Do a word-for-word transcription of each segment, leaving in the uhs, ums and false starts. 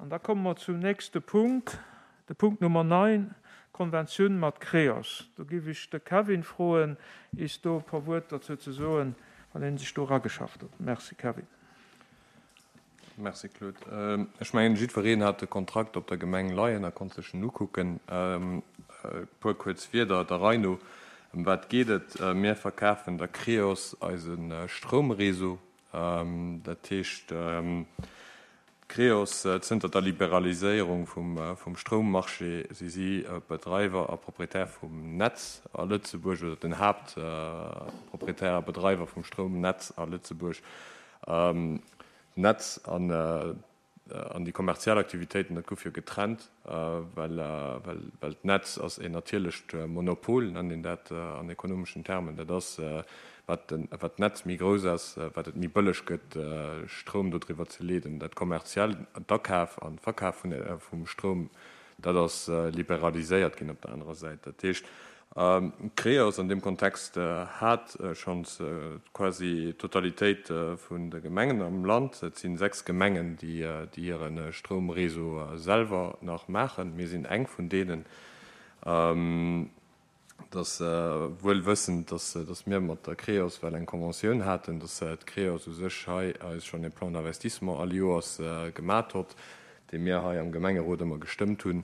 An da komme mer zum nächste Punkt, de Punkt Nummer neun, Konventioun mat Creos. Do géif ech de Kevin froen, is do e puer Wuert dozou ze soen, well en sech do erageschafft huet. Merci, Kevin. Merci, Claude. Ech mengen, jiddwereen hat de Kontrakt op der Gemeng leien a konnt sech en ukucken. E puer kuerz Wierder der Rei no. Ëm wat geet et? Mir verkafen der Creos eise Stroumreseau. Dat heescht, d'Creos, zënter der Liberaliséierung vum Stroummarché si si Bedreiwer a Proprietär vum Netz a Lëtzebuerg, oder den Haaptproprietär a Bedreiwer vum Stroumnetz a Lëtzebuerg. D'Netz an an déi kommerziell Aktivitéiten, dat gouf jo getrennt, well well d'Netz ass een natierlecht Monopol, nennt een dat an ekonomeschen Termen. Dat ass, wat den wat d'Netz méi grouss ass, wat et méi bëlleg gëtt, Stroum dodriwwer ze leeden. Dat kommerziell, d'Akaf an d'Verkaf vun vum Stroum, dat ass liberaliséiert ginn op der anerer Säit. Dat heescht, Creos an deem Kontext hat schonns quasi d'Totalitéit vun de Gemengen am Land. Et si sechs Gemengen, déi hire Stroumreseau selwer nach maachen. Mir sinn eng vun deenen. Et ass wuel wëssend, datt mir mat der Creos well eng Conventioun haten, datt d'Creos u sech hei eis schonn e Plan d'investissement all Joers gemat hott, dee mir hei am Gemengerot ëmmer gestëmmt hunn.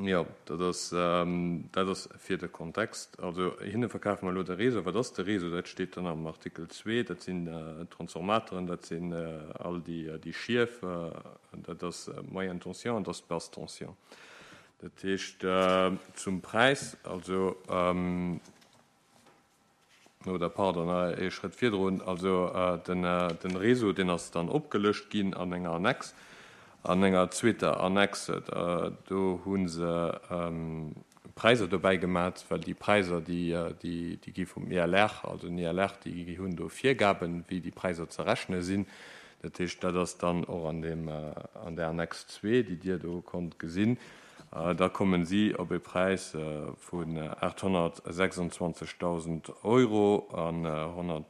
Jo, dat ass, dat ass fir de Kontext. Also hinne verkafe mer elo de Réseau. Wat ass de Réseau? Dat steet dann am Artikel zwee. Dat sinn d'Transformateren, dat sinn all déi, déi Schief, dat ass d'Moyenne tension an dat ass d'Basse tension. Dat heescht zum Präis, also, oder pardon, ee Schrëtt virdrun, also den, den Réseau, deen ass dann opgelëscht ginn an enger Annex. An enger zweeter Annexe, do hu se Präisser dobäi gemat, well déi Präisser, déi, déi, déi gi vum I L R, also den I L R, déi hunn do Virgaben, wéi déi Präisser ze rechne sinn. Dat heescht, dat ass dann och an deem, an der Annex zwee, déi Dir do konnt gesinn. Da kommen si op e Präis vun aathonnertsechsundzwanzegdausend Euro an honnert,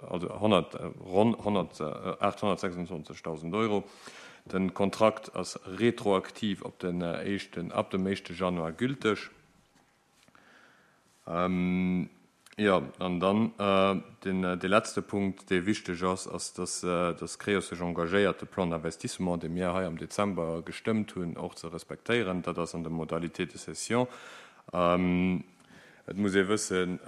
also honnert, ronn honnert, aathonnertsechsundzwanzegdausend Euro. Den Kontrakt ass retroaktiv op den éischten, ab dem éischte Januar gülteg. Jo, an dann den, dee letzte Punkt, dee wichteg ass, ass, dass, dass Creos sech engagéiert, de Plan d'investissement, dee mir hei am Dezember gestëmmt hunn, och ze respektéieren. Dat ass an der Modalité de cession. Et muss ee wëssen,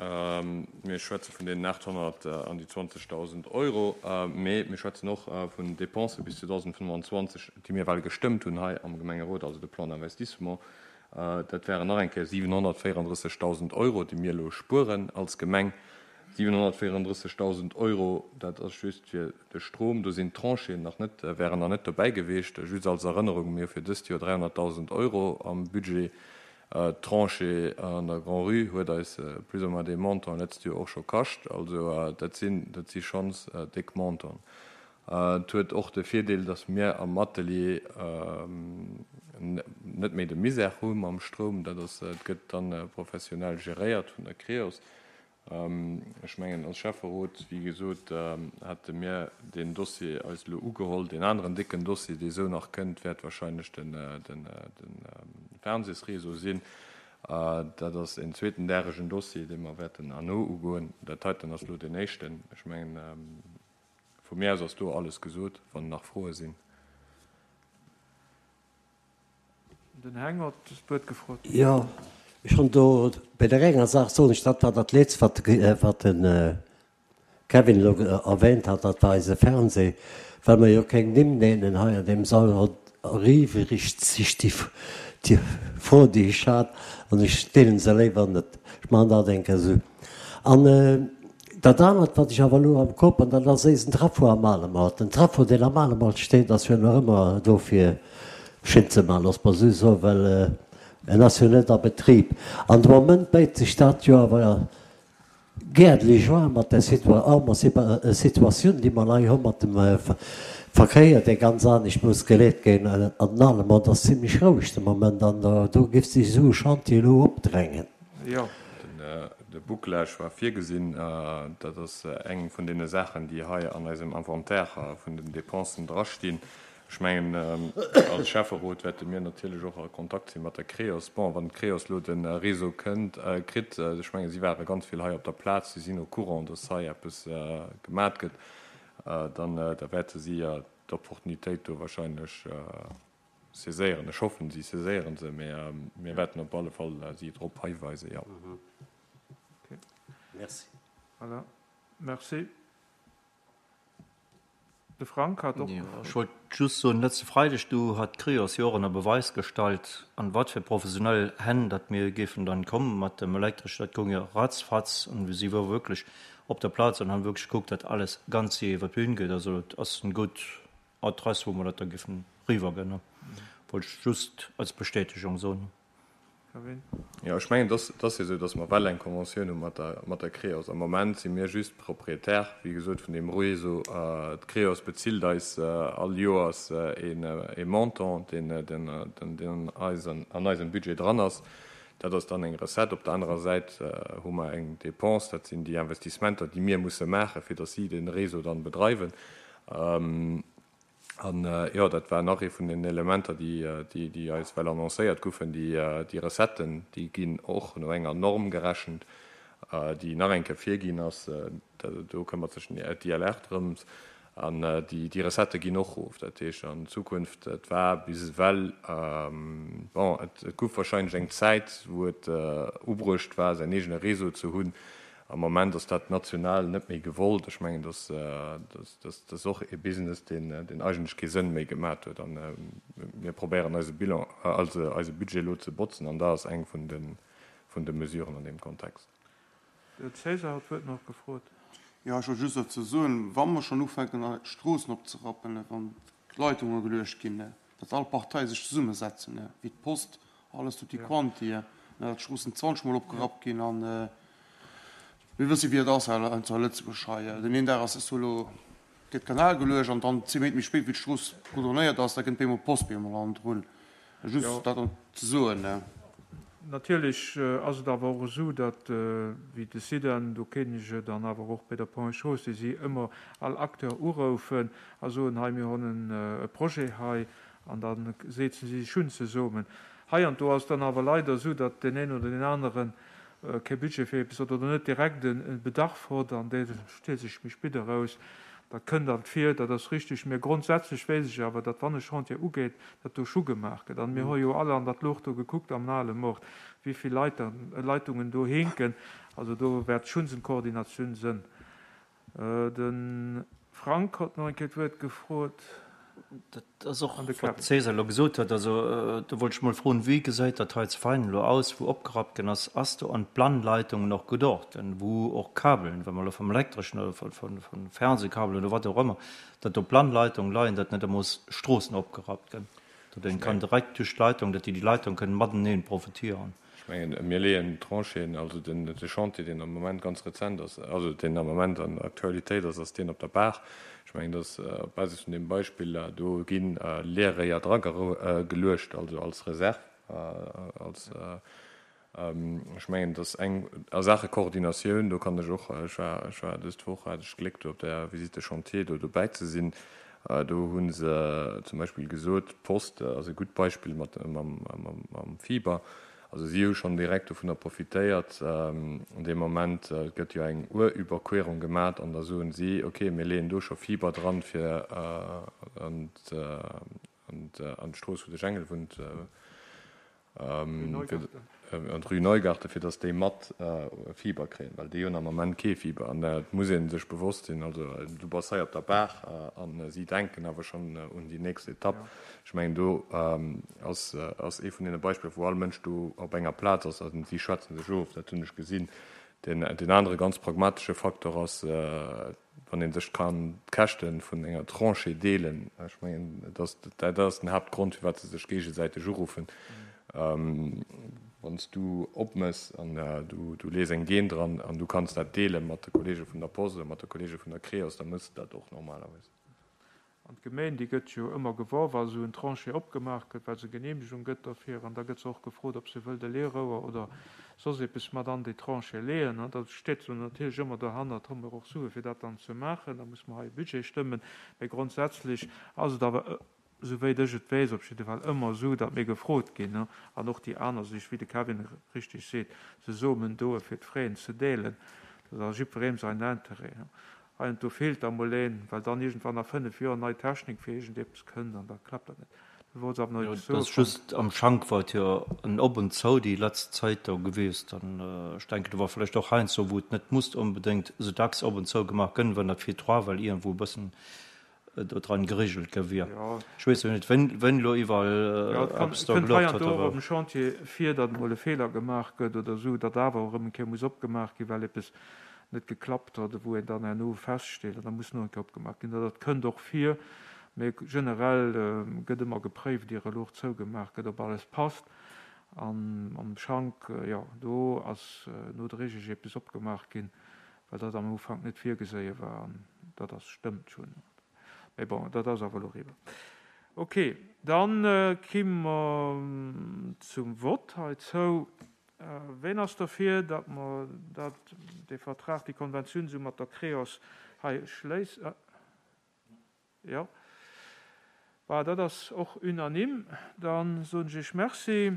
mir schwätze vun deenen aathonnert an déi zwanzegdausend Euro, mee mir schwätzen och vun Dépense bis zweedausendfënnwanzwanzeg, déi mir well gestëmmt hunn hei am Gemengerot, also de Plan d'investissement. Dat wären nach eng Kéier siwenhonnertvéierandrëssegdausend Euro, déi mir elo spueren als Gemeng. Siwenhonnertvéierandrëssegdausend Euro, dat ass just fir de Strom. Do sinn d'Tranchén nach net, wären nach net dobäi gewiescht. Just als Erënnerung, mir hu fir dëst Joer dräihonnertdausend Euro am Budget. D'Tranchée an der Grand-Rue huet eis plus ou moins dee Montant letzt Joer och scho kascht. Also dat sinn, dat si schonns déck Montanten. Et huet och de Virdeel, datt mir am Atelier net méi de Misère hu mam Stroum. Dat ass, et gëtt dann professionell geréiert vun der Creos. Ech mengen, als Schäfferot, wéi gesot, hate mir deen Dossier eis elo ugeholl. Deen aneren décken Dossier, dee sou nach kënnt, wäert wahrscheinlech den, den, den Fernsehsréseau sinn. Dat ass en zweeten däregen Dossier, dee mer wäerten herno ugoen. Dat heiten ass elo deen éischten. Ech mengen, vu mir aus ass do alles gesot, wann nach Froe sinn. Den Heng huet d'Wuert gefrot. Jo, ech hunn do bei der enger Saach soen ech, dat war dat Letzt, wat wat de Kevin elo erwähnt hat, dat war eise Fernseh, well mer jo keng Nimm nennen hei an deem Sall, erübrigt sich déi déi Fro, déi ech hat, an ech deelen se léiwer net. Ech maachen dat eng Kéier esou. An dat anert, wat ech awer elo am Kop, an dat ass eisen Trafo am Alemalt. Den Trafo, deen am Alemalt steet, ass jo nach ëmmer do fir Schinn ze maachen, looss mer esou soen, well en ass jo net a Betrib. An de Moment béit sech dat jo awer gäertlech an mat der Situatioun, déi mer hei hu mat dem Verkéier, dee ganz anescht muss geleet ginn. An den Alemalt ass zimlech roueg de Moment an do géif sech esou e Chantier elo opdrängen. Jo. De Bouclage war virgesinn. Dat ass eng vun deene Saachen, déi hei an eisem Inventaire vun den Dépensen drastinn. Ech mengen, als Schäfferot wäerte mir natierlech och a Kontakt si mat der Creos. Bon, wann d'Creos elo de Réseau kënnt, kritt, ech mengen, si ware ganz vill hei op der Plaz, si sinn au courant, dass hei eppes gemat gëtt, dann da wäerte si d'Opportunitéit do wahrscheinlech saiséieren. Ech hoffen, si saiséiere se, mä mir wäerten op alle Fall si drop hiweisen, jo. Merci. Voilà. Merci. De Frank hat och Jo, ech wollt just soen, letzte Freideg, du hat d'Creos jo och ënner Beweis gestallt, an wat fir professionell Hänn datt mir géifen dann kommen mat dem Elektreschen. Dat goung jo ratzfatz an si wor wierklech op der Plaz an han wierklech gekuckt, datt alles ganz séier iwwer d'Bühn geet. Also et ass en gutt Adress, wou mer dat da géifen riwwerginn. Wollt ech just als Bestätegung soen. Kevin? Jo, ech mengen, et ass jo esou, datt mer well eng Conventioun hu mat der, mat der Creos. Am Moment si mir just Propriétaire, wéi gesot, vun deem Réseau. D'Creos bezilt eis all Joers een, ee Montant, deen, deen, deen an an eisem Budget dran ass. Dat ass dann eng Recette. Op der anerer Säit hu mer eng Dépense, dat sinn déi Investissementer, déi mir musse maachen, fir datt si de Réseau dann bedreiwen. An, jo, dat war nach ee vun den Elementer, déi eis well annoncéiert goufen, déi Recetten, déi ginn och no enger Norm gerechent, déi nach eng Kéier virginn ass. Do këmmert sech den D L R drëms. An déi Recettë ginn och erof. Dat heescht, an Zukunft, et war bis ewell, bon, et gouf wahrscheinlech eng Zäit, wou et ubruecht war, säin eegene Réseau ze hunn. Am Moment ass dat national net méi gewollt. Ech mengen, dass dat ass och e Business, deen eigentlech kee Sënn méi gemat huet. A mir probéieren eise Bilan, also eise Budget elo ze botzen, an dat ass eng vun de vun de Mesuren an deem Kontext. De César huet d'Wuert nach gefrot. Jo, ech wollt just dozou soen, wa mer schonn ufänken, d'Stroossen opzerappen, wann d'Leitunge geluecht ginn, datt all Partei sech zesummesetzen, wéi d'Post, alles tutti quanti, datt d'Stroossen zwanzeg Mol opgerappt ginn. An mir wësse wéi et ass hei zu Lëtzebuerg hei. Den een Dag ass es elo gëtt Kanal geluecht an dann zwee Méint méi spéit, wéi d'Strooss goudronéiert ass, da kënnt bemol d'Post bemol hannendrun. Just dat ze soen. Natierlech ass et awer och esou, datt, wéi de SIDEN, do kennen ech et, an awer och bei der Ponts et Chaussées, si ëmmer all Acteur uroufen a soen, hei mir hunn e Projet hei, an da setzen si sech hunn zesummen. Hei an do ass dann awer leider esou, datt deen een oder deen aneren kee Budget fir eppes huet oder net direkt e Bedarf huet, an dee stellt sech méi spéit eraus. Dat kënnt alt vir, dat ass richtig. Mä grondsätzlech weess ech awer, datt wann e Chantier ugeet, datt do scho gemaach gëtt. An mir hu jo alle an dat Luucht do gekuckt am Ale Mord, wéi vill Leitungen do hinken. Also do wäert schonns eng Koordinatioun sënn. De Frank huet nach eng Kéier d'Wuert gefrot. Dat ass och, wat de César elo gesot huet. Also do wollt ech mol froen, Wéi gesäit dat hei zu Veinen elo aus, wou opgerappt ginn ass? Ass do an d'Plangleitungen och geduecht, wou och Kabelen, wa mer elo vum Elektreschen oder vu Fernsehkabelen oder wat och ëmmer, datt do Plangleitungen leien, datt net emol Stroossen opgerappt ginn, datt een kann direkt duerch d'Leitung, datt déi déi Leitung kënnen mateneen profitieren? Ech mengen, mir leeën d'Trancheen, also den de Chantier, deen am Moment ganz rezent ass, also deen am Moment an der Aktualitéit ass, ass deen op der Baach. Ech mengen, dass op Basis vun deem Beispill, do gi Leerréier dra geluecht, also als Reserve, als, ech mengen, dass eng a Saache Koordinatioun, do kann ech och, ech war, ech war dës Woch, hat ech d'Gléck, do op der Visite de chantier do dobäi ze sinn, do hu se zum Beispill gesot, d'Post ass e gutt Beispill mat mam, mam, mam Fiber. Also si hu schonn direkt dovunner profitéiert. An deem Moment gëtt jo eng Our-Überquerung gemat an da soen si, okay, mir leeën do scho Fiber dran, fir an d'Strooss, wou de Jengel wunnt, an d'Rue Neugarten, fir datt déi mat Fiber kréien, well déi hunn am Moment kee Fiber. An et muss ee sech bewosst sinn, also du bass hei op der Baach a si denken awer schonn un déi nächst Etapp. Ech mengen, do ass ass ee vun deene Beispiller, wou all Mënsch do op enger Plaz ass a si schwätze sech of. Dat hunn ech gesinn. Deen deen anere ganz pragmatesche Faktor ass, wann ee sech kann d'Käschte vun enger Tranchée deelen. Ech mengen, dat dat ass den Haaptgrond, firwat se sech géigesäiteg uruffen. Wann s du opmëss an du du lees eng Geen dran an du kanns dat deele mat de Kollege vun der Post oder mat de Kollege vun der Creos, da mëss de dat och normalerweis. An d'Gemeng, déi gëtt jo ëmmer gewor, wa esou en Tranchée opgemaach gëtt, well se Genehmegung gëtt derfir. An da gëtt se och gefrot, ob se wëllt e Leerouer oder soss eppes mat an déi Tranchée leeën. An da steet se natierlech ëmmer dohannert, hu mer och Sue fir dat dann ze maachen. Da muss mer hei e Budget stëmmen. Mee grondsätzlech ass et awer souwéit ech et weess, op jidde Fall ëmmer esou, datt mir gefrot ginn, an och déi aner sech, wéi de Kevin richteg seet, zesummen doen, fir d'Fraisen ze deelen. Dat ass a jiddwerem säin Interêt. Heiansdo feelt da mol een, well dann iergendwann a fënnef Joer nei Technik fir iergendeppes kënnt an da klappt dat net. Du wollts awer nach Jo, eppes dat soe, ass Frank? just am Schank war et jo en Op und Zou déi letzt Zäit do gewiesst. An ech denken, do war vläicht och heiansdo, wou et net musst onbedéngt esou dacks op und zou gemaach gënn, wann dat virdra well iergendwou e bëssen do dran geregelt gi wier. Jo. Ech weess jo net, wéin, wéin elo iwwerall Jo, et kann, eppes et do kënnt gelocht heiansdo huet, och awer. op dem Chantier vir, datt emol e Feeler gemaach gëtt oder esou, datt awer erëm eng Kéier muss opgemaach ginn, well eppes net geklappt huet, wou een dann herno feststeet an da muss nach eng Kéier opgemaach ginn. Dat kënnt och vir, mee generell gëtt ëmmer gepréift, ier e Luch zougemaach gëtt, ob alles passt. An am Schank, jo, do ass nodréiglech eppes opgemaach ginn, well dat am Ufank net virgeséie war an dat ass stëmmt schonn. Mee bon, dat ass awer elo eriwwer. Ok, dann ki mer zum Vott heizou. Ween ass derfir, datt mer dat, dee Vertrag, déi Konventioun esou mat der Creos hei schléissen? Jo. Bah, dat ass och unanime. Da soen ech Iech Merci.